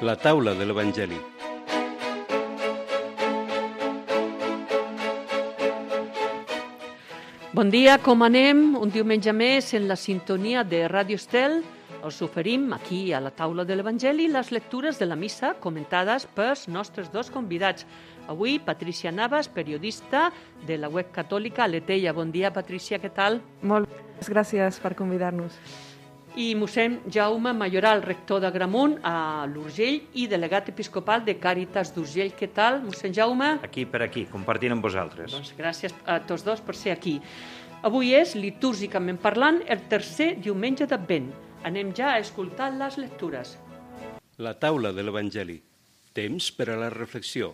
La taula de l'Evangeli. Bon dia, com anem? Un diumenge més en la sintonia de Ràdio Estel. Us oferim aquí a la taula de l'Evangeli les lectures de la missa comentades pels nostres dos convidats. Avui, Patricia Navas, periodista de la web catòlica Aleteia. Bon dia, Patricia, què tal? Moltes gràcies per convidar-nos. I mossèn Jaume Mayoral, rector d'Agramunt a l'Urgell i delegat episcopal de Càritas d'Urgell. Què tal, mossèn Jaume? Aquí per aquí, compartint amb vosaltres. Doncs gràcies a tots dos per ser aquí. Avui és, litúrgicament parlant, el tercer diumenge d'Advent. Anem ja a escoltar les lectures. La taula de l'Evangeli. Temps per a la reflexió.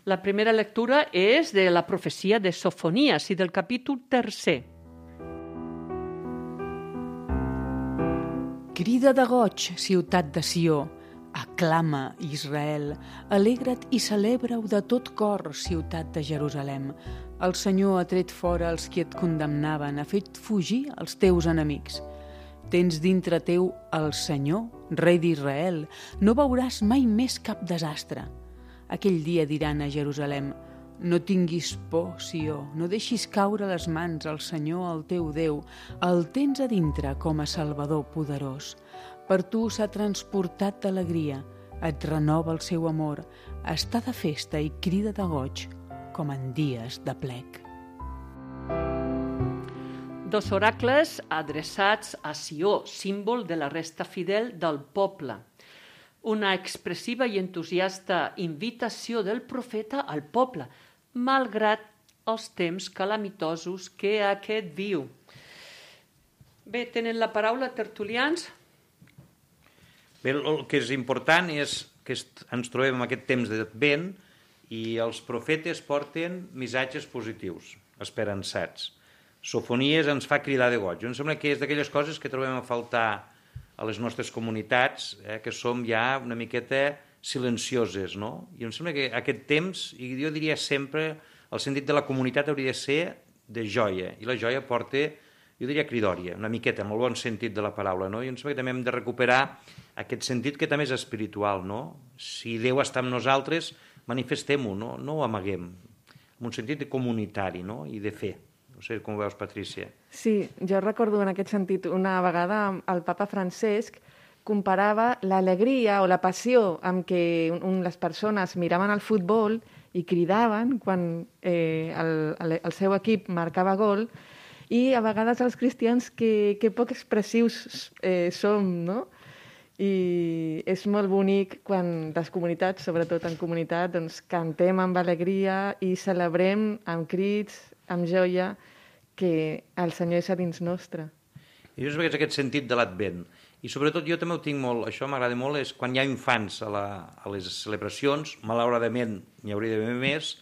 La primera lectura és de la profecia de Sofonies i del capítol 3. Crida de goig, ciutat de Sió, aclama, Israel, alegra't i celebra-ho de tot cor, ciutat de Jerusalem. El Senyor ha tret fora els qui et condemnaven, ha fet fugir els teus enemics. Tens dintre teu el Senyor, rei d'Israel, no veuràs mai més cap desastre. Aquell dia diran a Jerusalem: no tinguis por, Sió, no deixis caure les mans al Senyor, el teu Déu. El tens a dintre com a Salvador poderós. Per tu s'ha transportat d'alegria, et renova el seu amor, està de festa i crida de goig, com en dies de plec. Dos oracles adreçats a Sió, símbol de la resta fidel del poble. Una expressiva i entusiasta invitació del profeta al poble, malgrat els temps calamitosos que aquest viu. Bé, tenen la paraula tertulians. Bé, el que és important és que ens trobem en aquest temps d'Advent i els profetes porten missatges positius, esperançats. Sofonies ens fa cridar de goig. Em sembla que és d'aquelles coses que trobem a faltar a les nostres comunitats, que som ja una miqueta silencioses, no? I em sembla que aquest temps, i jo diria sempre, el sentit de la comunitat hauria de ser de joia, i la joia porta, jo diria, cridòria, una miqueta, en el bon sentit de la paraula, no? I em sembla que també hem de recuperar aquest sentit que també és espiritual, no? Si Déu està amb nosaltres, manifestem-ho, no ho amaguem, en un sentit comunitari, no? I de fe. No sé com ho veus, Patrícia. Sí, jo recordo en aquest sentit una vegada el papa Francesc comparava l'alegria o la passió amb què les persones miraven el futbol i cridaven quan el seu equip marcava gol, i a vegades els cristians que poc expressius som, no? I és molt bonic quan les comunitats, sobretot en comunitat, doncs cantem amb alegria i celebrem amb crits, amb joia, que el Senyor és a dins nostre. I jo és aquest sentit de l'Advent. I sobretot jo també ho tinc molt, això m'agrada molt, és quan hi ha infants a les celebracions, malauradament n'hi hauria d'haver més,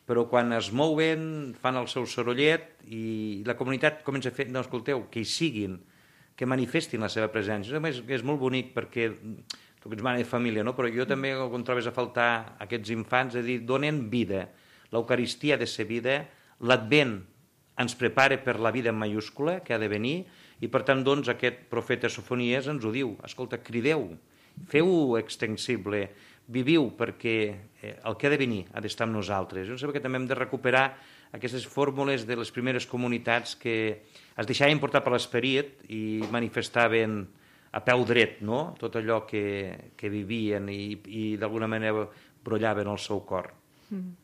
però quan es mouen, fan el seu sorollet i la comunitat comença a fer, no, escolteu, que hi siguin, que manifestin la seva presència. És molt bonic perquè tu que ets mare de família, no? Però jo també, quan trobes a faltar aquests infants, és a dir, donen vida. L'Eucaristia ha de ser vida, l'Advent ens prepara per la vida en mayúscula que ha de venir, i per tant, doncs, aquest profeta Sofonies ens ho diu: escolta, crideu, feu-ho extensible, viviu, perquè el que ha de venir ha d'estar amb nosaltres. Jo sé que també hem de recuperar aquestes fórmules de les primeres comunitats que es deixaven portar per l'esperit i manifestaven a peu dret, no?, tot allò que vivien i d'alguna manera brollaven el seu cor.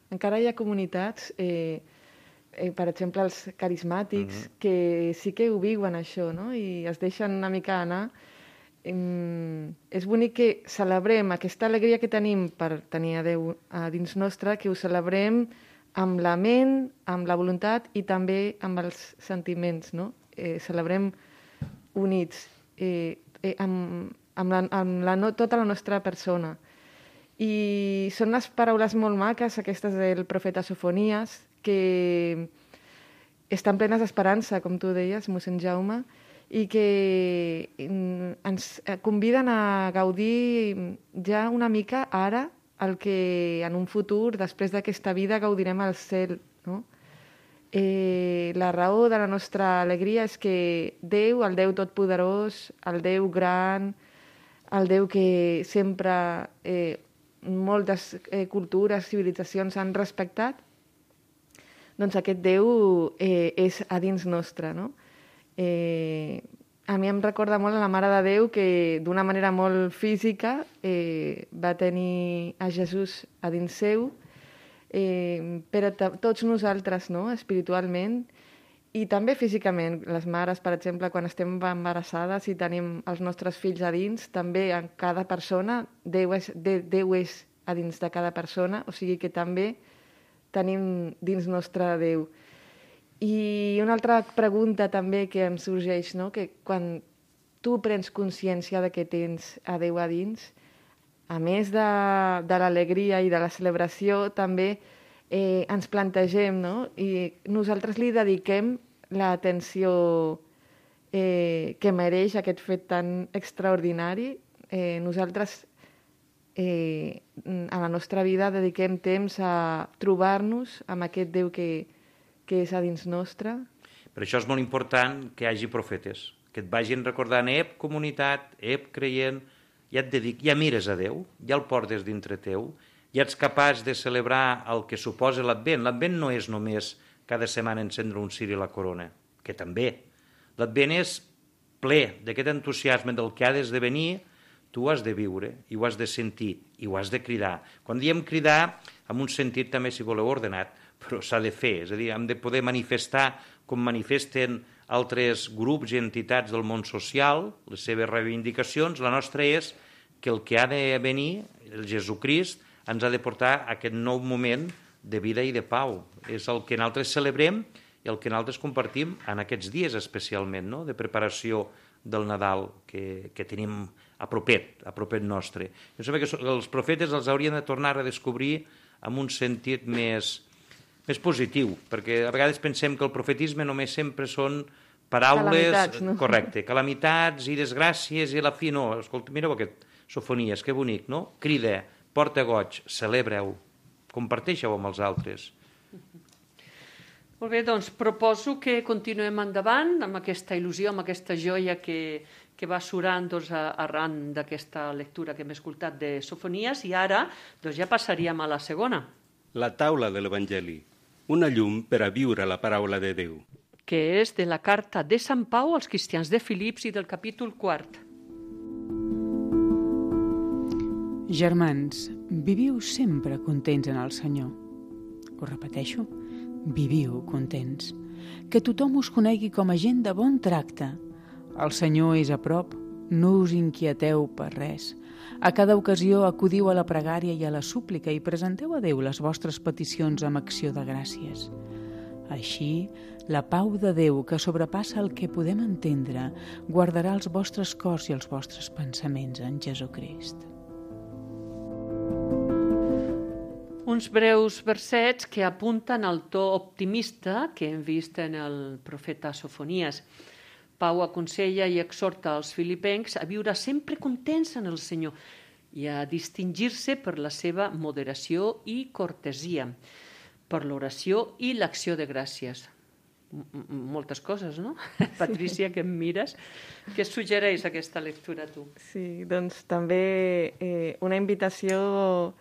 Encara hi ha comunitats, per exemple els carismàtics, que sí que ho viuen això, no? I es deixen una mica anar. És bonic que celebrem aquesta alegria que tenim per tenir a Déu a dins nostre, que ho celebrem amb la ment, amb la voluntat i també amb els sentiments, no? Celebrem units, amb tota la nostra persona. I són unes paraules molt maques, aquestes del profeta Sofonies, que estan plenes d'esperança, com tu deies, mossèn Jaume, i que ens conviden a gaudir ja una mica ara el que en un futur, després d'aquesta vida, gaudirem al cel, no? La raó de la nostra alegria és que Déu, el Déu totpoderós, el Déu gran, el Déu que sempre moltes cultures, civilitzacions han respectat, doncs aquest Déu és a dins nostre, no? A mi em recorda molt a la Mare de Déu que d'una manera molt física va tenir a Jesús a dins seu, però tots nosaltres, no? Espiritualment i també físicament. Les mares, per exemple, quan estem embarassades i tenim els nostres fills a dins, també en cada persona, Déu és a dins de cada persona, o sigui que també tenim dins nostre Déu. I una altra pregunta també que em sorgeix, no? Que quan tu prens consciència de que tens a Déu a dins, a més de l'alegria i de la celebració, també ens plantegem, no? I nosaltres li dediquem l'atenció que mereix aquest fet tan extraordinari. Nosaltres a la nostra vida dediquem temps a trobar-nos amb aquest Déu que és a dins nostre. Per això és molt important que hi hagi profetes, que et vagin recordant, comunitat, creient, ja mires a Déu, ja el portes dintre teu, ja ets capaç de celebrar el que suposa l'Advent. L'Advent no és només cada setmana encendre un ciri i la corona, que també. L'Advent és ple d'aquest entusiasme del que ha d'esdevenir, tu ho has de viure, i ho has de sentir, i ho has de cridar. Quan diem cridar, amb un sentit també, si voleu, ordenat, però s'ha de fer, és a dir, hem de poder manifestar com manifesten altres grups i entitats del món social, les seves reivindicacions. La nostra és que el que ha de venir, el Jesucrist, ens ha de portar a aquest nou moment de vida i de pau. És el que nosaltres celebrem i el que nosaltres compartim en aquests dies especialment, no? De preparació del Nadal que tenim a propet nostre. Jo sé que els profetes els haurien de tornar a descobrir amb un sentit més positiu, perquè a vegades pensem que el profetisme només sempre són paraules... Calamitats, no? Correcte, calamitats i desgràcies i a la fi no. Escolta, mireu aquest Sofonies, que bonic, no? Crida, porta goig, celebreu, comparteixeu amb els altres. Molt bé, doncs proposo que continuem endavant amb aquesta il·lusió, amb aquesta joia que va surant arran d'aquesta lectura que hem escoltat de Sofonies, i ara ja passaríem a la segona. La taula de l'Evangeli, una llum per a viure la paraula de Déu. Que és de la carta de Sant Pau als cristians de Filips i del capítol 4. Germans, viviu sempre contents en el Senyor. Ho repeteixo, viviu contents. Que tothom us conegui com a gent de bon tracte. El Senyor és a prop, no us inquieteu per res. A cada ocasió acudiu a la pregària i a la súplica i presenteu a Déu les vostres peticions amb acció de gràcies. Així, la pau de Déu, que sobrepassa el que podem entendre, guardarà els vostres cors i els vostres pensaments en Jesucrist. Uns breus versets que apunten al to optimista que hem vist en el profeta Sofonies. Pau aconsella i exhorta els filipencs a viure sempre contents en el Senyor i a distingir-se per la seva moderació i cortesia, per l'oració i l'acció de gràcies. Moltes coses, no? Patrícia, que em mires. Què suggereix aquesta lectura, tu? Sí, doncs també una invitació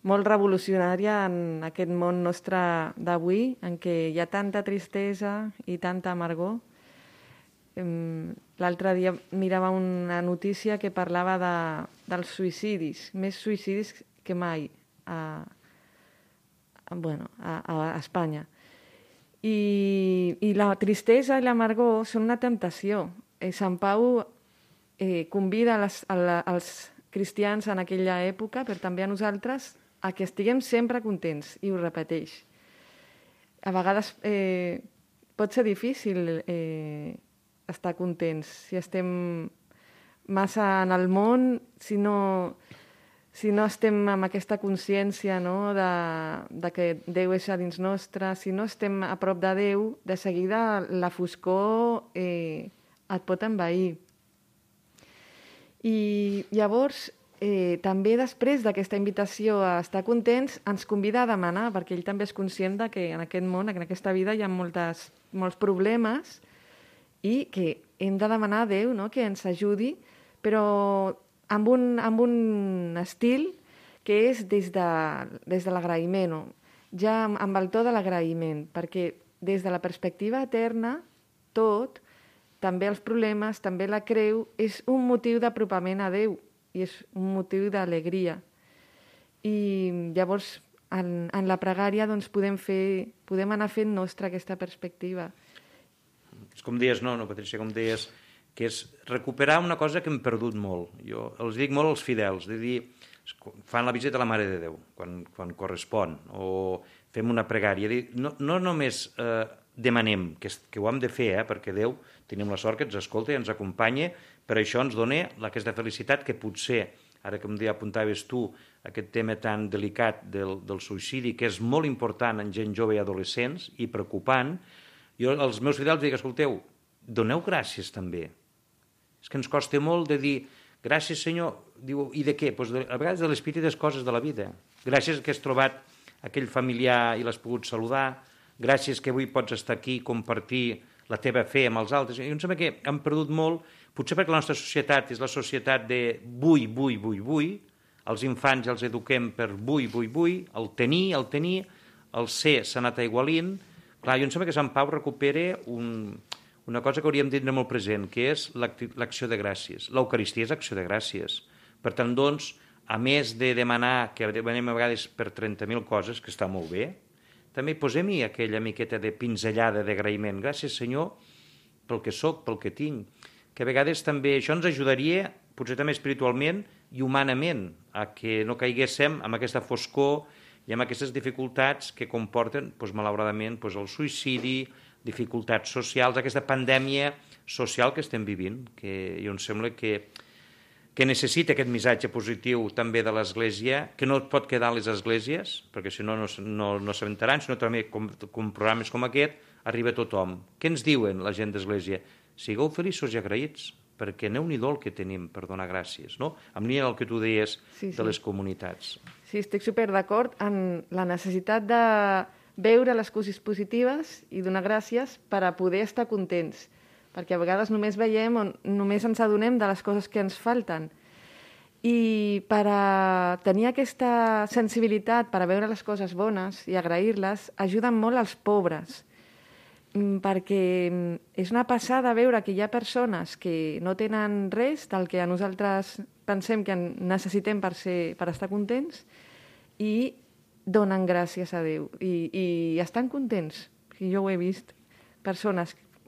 molt revolucionària en aquest món nostre d'avui, en què hi ha tanta tristesa i tanta amargor. L'altre dia mirava una notícia que parlava dels suïcidis, més suïcidis que mai a Espanya. I la tristesa i l'amargor són una temptació. Sant Pau convida als cristians en aquella època, però també a nosaltres, a que estiguem sempre contents, i ho repeteix. A vegades pot ser difícil estar contents si estem massa en el món, si no estem amb aquesta consciència, no, de que Déu és a dins nostre, si no estem a prop de Déu, de seguida la foscor et pot envair. I llavors, també després d'aquesta invitació a estar contents, ens convida a demanar, perquè ell també és conscient de que en aquest món, en aquesta vida, hi ha molts problemes i que hem de demanar a Déu, no, que ens ajudi, però amb un estil que és des de l'agraïment, ja amb el to de l'agraïment, perquè des de la perspectiva eterna, tot, també els problemes, també la creu, és un motiu d'apropament a Déu i és un motiu d'alegria. I llavors, en la pregària, doncs, podem anar fent nostra aquesta perspectiva. És com deies, no, Patrícia, com deies, que és recuperar una cosa que hem perdut molt. Jo els dic molt als fidels, de dir, fan la visita a la Mare de Déu, quan correspon, o fem una pregària. No només demanem, que ho hem de fer, perquè Déu tenim la sort que ens escolta i ens acompanya, per això ens dona aquesta felicitat que potser, ara que em apuntaves tu, aquest tema tan delicat del suïcidi, que és molt important en gent jove i adolescents i preocupant, jo als meus fidels dic, escolteu, doneu gràcies també. És que ens costa molt de dir, gràcies Senyor, diu, i de què? Pues a vegades de les petites coses de la vida. Gràcies que has trobat aquell familiar i l'has pogut saludar, gràcies que avui pots estar aquí i compartir la teva fe amb els altres. I em sembla que hem perdut molt, potser perquè la nostra societat és la societat de vull, els infants els eduquem per vull, el tenir, el ser s'ha anat aigualint. Clar, jo em sembla que Sant Pau recupera una cosa que hauríem de tenir molt present, que és l'acció de gràcies. L'Eucaristia és acció de gràcies. Per tant, doncs, a més de demanar, que demanem a vegades per 30.000 coses, que està molt bé, també posem-hi aquella miqueta de pinzellada d'agraïment. Gràcies, Senyor, pel que soc, pel que tinc. Que a vegades també això ens ajudaria, potser també espiritualment i humanament, a que no caiguéssim en aquesta foscor i amb aquestes dificultats que comporten, malauradament, el suïcidi, dificultats socials, aquesta pandèmia social que estem vivint, que jo em sembla que necessita aquest missatge positiu també de l'Església, que no pot quedar a les esglésies, perquè si no s'aventaran, sinó també com programes com aquest arriba a tothom. Què ens diuen la gent d'Església? Sigueu feliços i agraïts, perquè aneu-n'hi-do el que tenim per donar gràcies, no? Amb línia del que tu deies de les comunitats. Sí, estic super d'acord en la necessitat de veure les coses positives i donar gràcies per a poder estar contents, perquè a vegades només veiem o només ens adonem de les coses que ens falten. I per a tenir aquesta sensibilitat, per a veure les coses bones i agrair-les, ajuden molt als pobres, perquè és una passada veure que hi ha persones que no tenen res del que a nosaltres pensem que necessitem per estar contents i donen gràcies a Déu i estan contents. Jo ho he vist.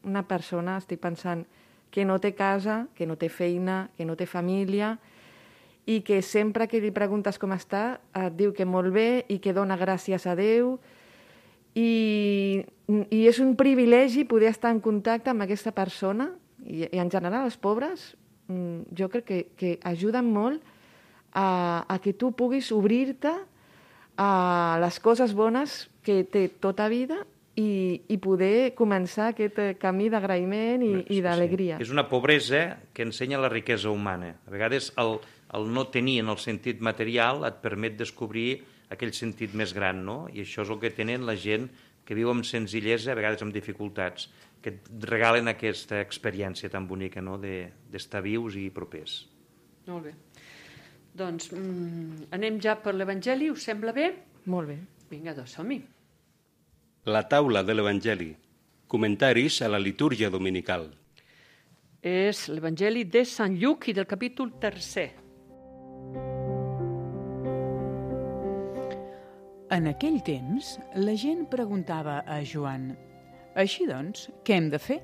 Una persona, estic pensant, que no té casa, que no té feina, que no té família i que sempre que li preguntes com està et diu que molt bé i que dona gràcies a Déu. I és un privilegi poder estar en contacte amb aquesta persona i en general els pobres jo crec que ajuden molt a que tu puguis obrir-te a les coses bones que té tota vida i poder començar aquest camí d'agraïment i d'alegria. És una pobresa que ensenya la riquesa humana. A vegades el no tenir en el sentit material et permet descobrir aquell sentit més gran, no? I això és el que tenen la gent que viu amb senzillesa, a vegades amb dificultats, que et regalen aquesta experiència tan bonica, no?, d'estar vius i propers. Molt bé. Doncs anem ja per l'Evangeli, us sembla bé? Molt bé. Vinga, doncs som-hi. La taula de l'Evangeli. Comentaris a la litúrgia dominical. És l'Evangeli de Sant Lluc i del capítol 3. En aquell temps, la gent preguntava a Joan: «Així doncs, què hem de fer?»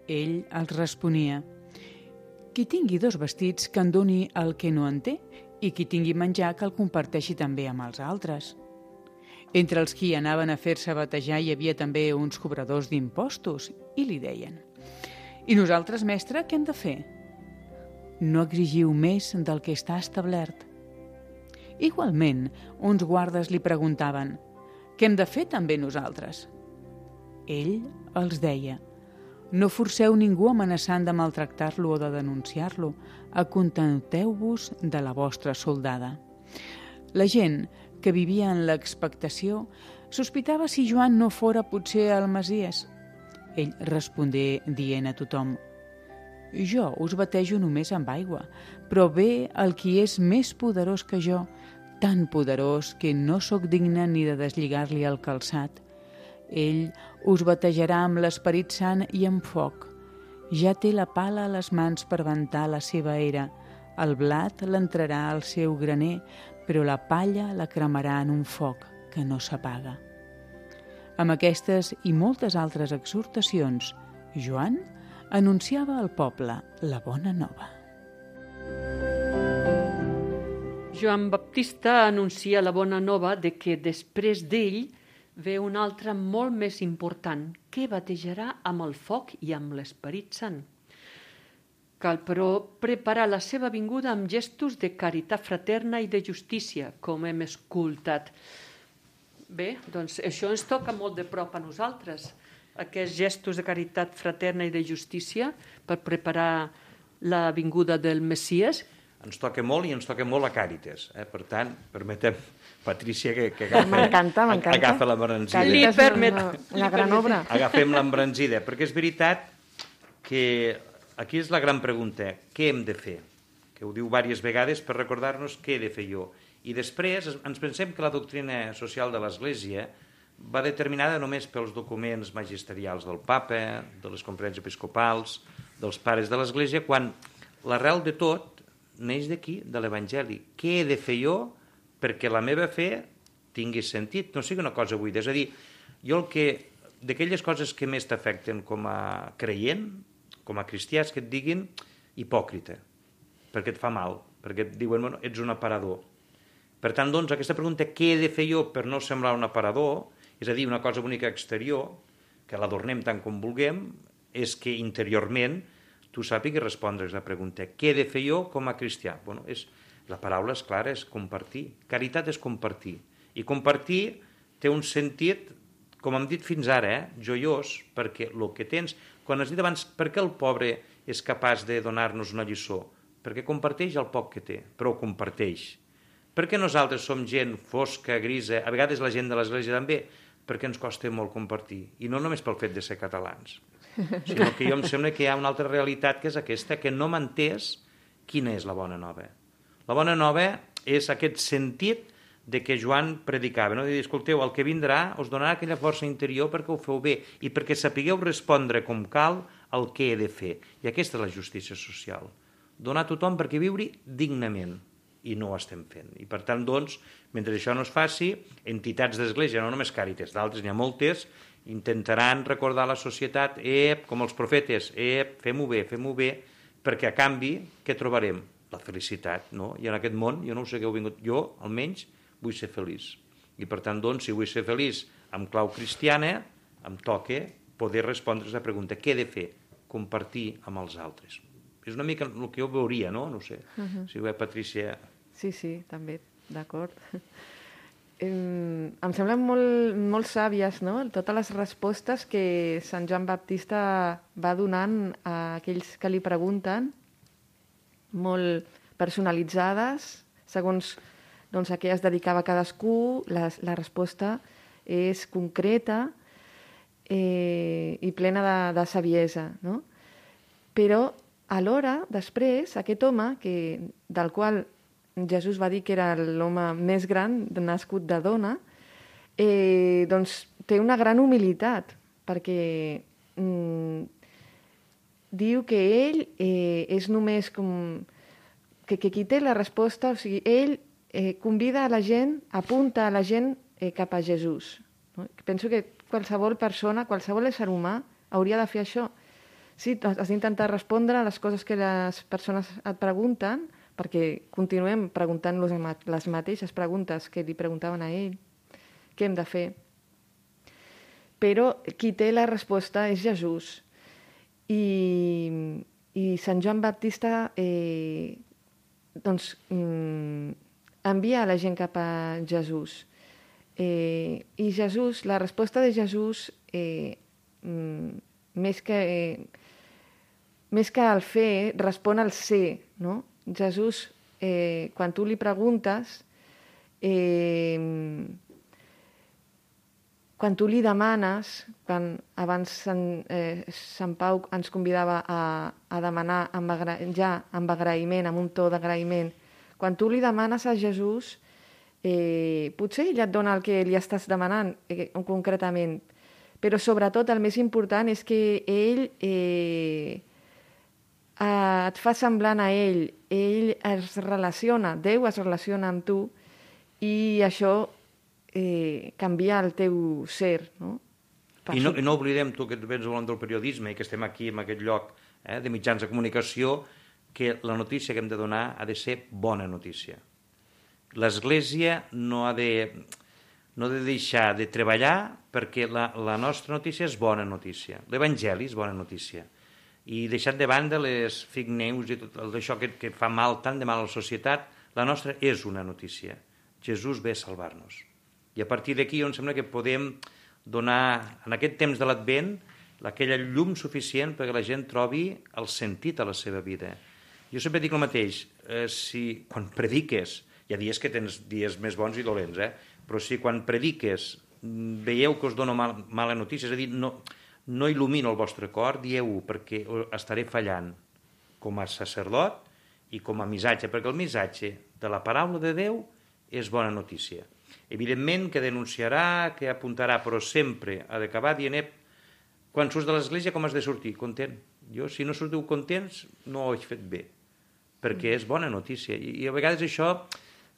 Ell els responia: «Qui tingui 2 vestits que en doni el que no en té, i qui tingui menjar que el comparteixi també amb els altres». Entre els qui anaven a fer-se batejar hi havia també uns cobradors d'impostos, i li deien: «I nosaltres, mestre, què hem de fer?» «No exigiu més del que està establert». Igualment, uns guardes li preguntaven: «Què hem de fer també nosaltres?» Ell els deia: «No forceu ningú amenaçant de maltractar-lo o de denunciar-lo. Acontenteu-vos de la vostra soldada». La gent, que vivia en l'expectació, sospitava si Joan no fora potser el Messies. Ell respongué dient a tothom: Jo us batejo només amb aigua, però ve el qui és més poderós que jo, tan poderós que no sóc digne ni de deslligar-li el calçat. Ell us batejarà amb l'Esperit Sant i amb foc. Ja té la pala a les mans per ventar la seva era. El blat l'entrarà al seu graner, però la palla la cremarà en un foc que no s'apaga. Amb aquestes i moltes altres exhortacions, Joan anunciava al poble la bona nova. Joan Baptista anuncia la bona nova de que després d'ell ve un altre molt més important, que batejarà amb el foc i amb l'Esperit Sant. Cal, però, preparar la seva vinguda amb gestos de caritat fraterna i de justícia, com hem escoltat. Bé, doncs això ens toca molt de prop a nosaltres, aquests gestos de caritat fraterna i de justícia per preparar la vinguda del Messies. Ens toca molt i ens toca molt a Càritas. Per tant, permetem, Patrícia, que M'encanta. agafa l'embranzida. Li permet. Una gran obra. Agafem l'embranzida, perquè és veritat que aquí és la gran pregunta, què hem de fer? Que ho diu diverses vegades per recordar-nos què he de fer jo. I després ens pensem que la doctrina social de l'Església va determinada només pels documents magisterials del papa, de les conferències episcopals, dels pares de l'Església, quan l'arrel de tot neix d'aquí, de l'Evangeli. Què he de fer jo perquè la meva fe tingui sentit, no sigui una cosa buida? És a dir, jo d'aquelles coses que més t'afecten com a creient, com a cristià, és que et diguin hipòcrita, perquè et fa mal, perquè et diuen, bueno, ets un aparador. Per tant, doncs, aquesta pregunta, què he de fer jo per no semblar un aparador, és a dir, una cosa bonica exterior, que l'adornem tant com vulguem, és que interiorment tu sàpigues respondre a aquesta pregunta. Què he de fer jo com a cristià? Bueno, la paraula és clara, és compartir. Caritat és compartir. I compartir té un sentit, com hem dit fins ara, joiós, perquè el que tens... Quan has dit abans, per què el pobre és capaç de donar-nos una lliçó? Perquè comparteix el poc que té, però ho comparteix. Per què nosaltres som gent fosca, grisa, a vegades la gent de l'Església també? Perquè ens costa molt compartir. I no només pel fet de ser catalans, sinó que jo em sembla que hi ha una altra realitat que és aquesta, que no m'ha entès quina és la bona nova. La bona nova és aquest sentit de què Joan predicava, no? De dir, escolteu, el que vindrà us donarà aquella força interior perquè ho feu bé i perquè sapigueu respondre com cal el que he de fer. I aquesta és la justícia social. Donar a tothom perquè viure dignament. I no ho estem fent. I per tant, doncs, mentre això no es faci, entitats d'església, no només Càritas, d'altres n'hi ha moltes, intentaran recordar a la societat, com els profetes, fem-ho bé, perquè a canvi, què trobarem? La felicitat, no? I en aquest món, jo no ho sé que heu vingut, jo, almenys, vull ser feliç. I per tant, doncs, si vull ser feliç amb clau cristiana, em toca poder respondre a la pregunta, què he de fer? Compartir amb els altres. És una mica el que jo veuria, no? No sé, si ho Patrícia... Sí, també, d'acord. Em semblen molt sàvies, no?, totes les respostes que Sant Joan Baptista va donant a aquells que li pregunten, molt personalitzades, segons a què es dedicava cadascú. La resposta és concreta i plena de saviesa, no? Però alhora, després, aquest home, del qual Jesús va dir que era l'home més gran nascut de dona, doncs té una gran humilitat, perquè diu que ell és només com... que qui té la resposta, o sigui, ell convida a la gent, apunta a la gent cap a Jesús. No? Penso que qualsevol persona, qualsevol ésser humà hauria de fer això. Sí, has d'intentar respondre a les coses que les persones et pregunten, perquè continuem preguntant-los les mateixes preguntes que li preguntaven a ell. Què hem de fer? Però qui té la resposta és Jesús. I Sant Joan Baptista envia a la gent cap a Jesús. I Jesús, la resposta de Jesús, més que al fer, respon al ser, no? Jesús, quan tu li preguntes, quan tu li demanes, quan abans Sant Pau ens convidava a demanar amb agraïment, amb un to d'agraïment, quan tu li demanes a Jesús, potser ell et dona el que li estàs demanant concretament, però sobretot el més important és que ell et fa semblant a ell es relaciona, Déu es relaciona amb tu i això canvia el teu ser, no? I no oblidem, tu que vens volant del periodisme i que estem aquí en aquest lloc de mitjans de comunicació, que la notícia que hem de donar ha de ser bona notícia. L'Església no ha de deixar de treballar perquè la nostra notícia és bona notícia. L'Evangeli és bona notícia. I deixant de banda les fake news i tot això que fa mal, tant de mal a la societat, la nostra és una notícia. Jesús ve a salvar-nos. I a partir d'aquí em sembla que podem donar, en aquest temps de l'Advent, aquella llum suficient perquè la gent trobi el sentit a la seva vida. Jo sempre dic el mateix, quan prediques, hi ha dies que tens dies més bons i dolents, però si quan prediques veieu que us dono mala notícia, és a dir, no il·lumino el vostre cor, dieu-ho perquè estaré fallant com a sacerdot i com a missatge, perquè el missatge de la paraula de Déu és bona notícia. Evidentment que denunciarà, que apuntarà, però sempre ha d'acabar dient quan surts de l'església com has de sortir? Content. Jo, si no sortiu contents, no ho he fet bé, perquè és bona notícia. I a vegades això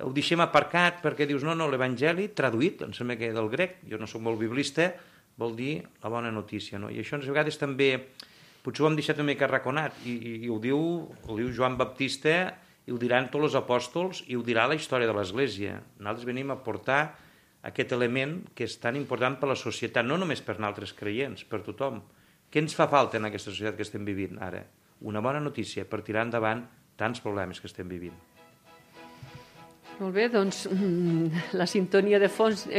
ho deixem aparcat perquè dius, no, l'Evangeli traduït, em sembla que del grec, jo no soc molt biblista, vol dir la bona notícia, no? I això a vegades també, potser ho hem deixat una mica arraconat, i ho diu Joan Baptista, i ho diran tots els apòstols, i ho dirà la història de l'Església. Nosaltres venim a portar aquest element que és tan important per a la societat, no només per nosaltres creients, per tothom. Què ens fa falta en aquesta societat que estem vivint ara? Una bona notícia per tirar endavant tants problemes que estem vivint. Molt bé, doncs la sintonia de fons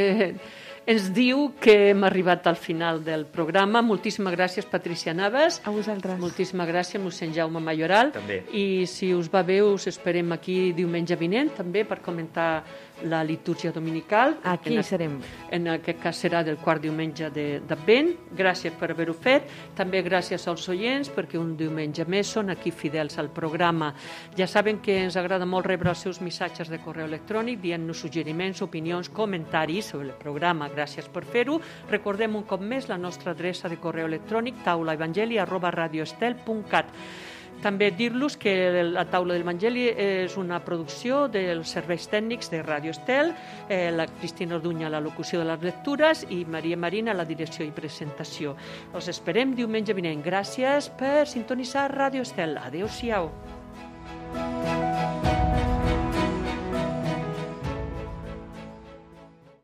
ens diu que hem arribat al final del programa. Moltíssimes gràcies, Patricia Navas. A vosaltres. Moltíssimes gràcies, mossèn Jaume Mayoral. També. I si us va bé, us esperem aquí diumenge vinent, també, per comentar la litúrgia dominical. Aquí serem. En aquest cas serà del quart diumenge d'Advent. Gràcies per haver-ho fet. També gràcies als oients, perquè un diumenge més són aquí fidels al programa. Ja saben que ens agrada molt rebre els seus missatges de correu electrònic, dient-nos suggeriments, opinions, comentaris sobre el programa. Gràcies per fer-ho. Recordem un cop més la nostra adreça de correu electrònic taulaevangeli@radioestel.cat. També dir-los que la Taula de l'Evangeli és una producció dels serveis tècnics de Ràdio Estel, la Cristina Orduña a la locució de les lectures i Maria Marina a la direcció i presentació. Els esperem diumenge vinent. Gràcies per sintonitzar Ràdio Estel. Adéu-siau.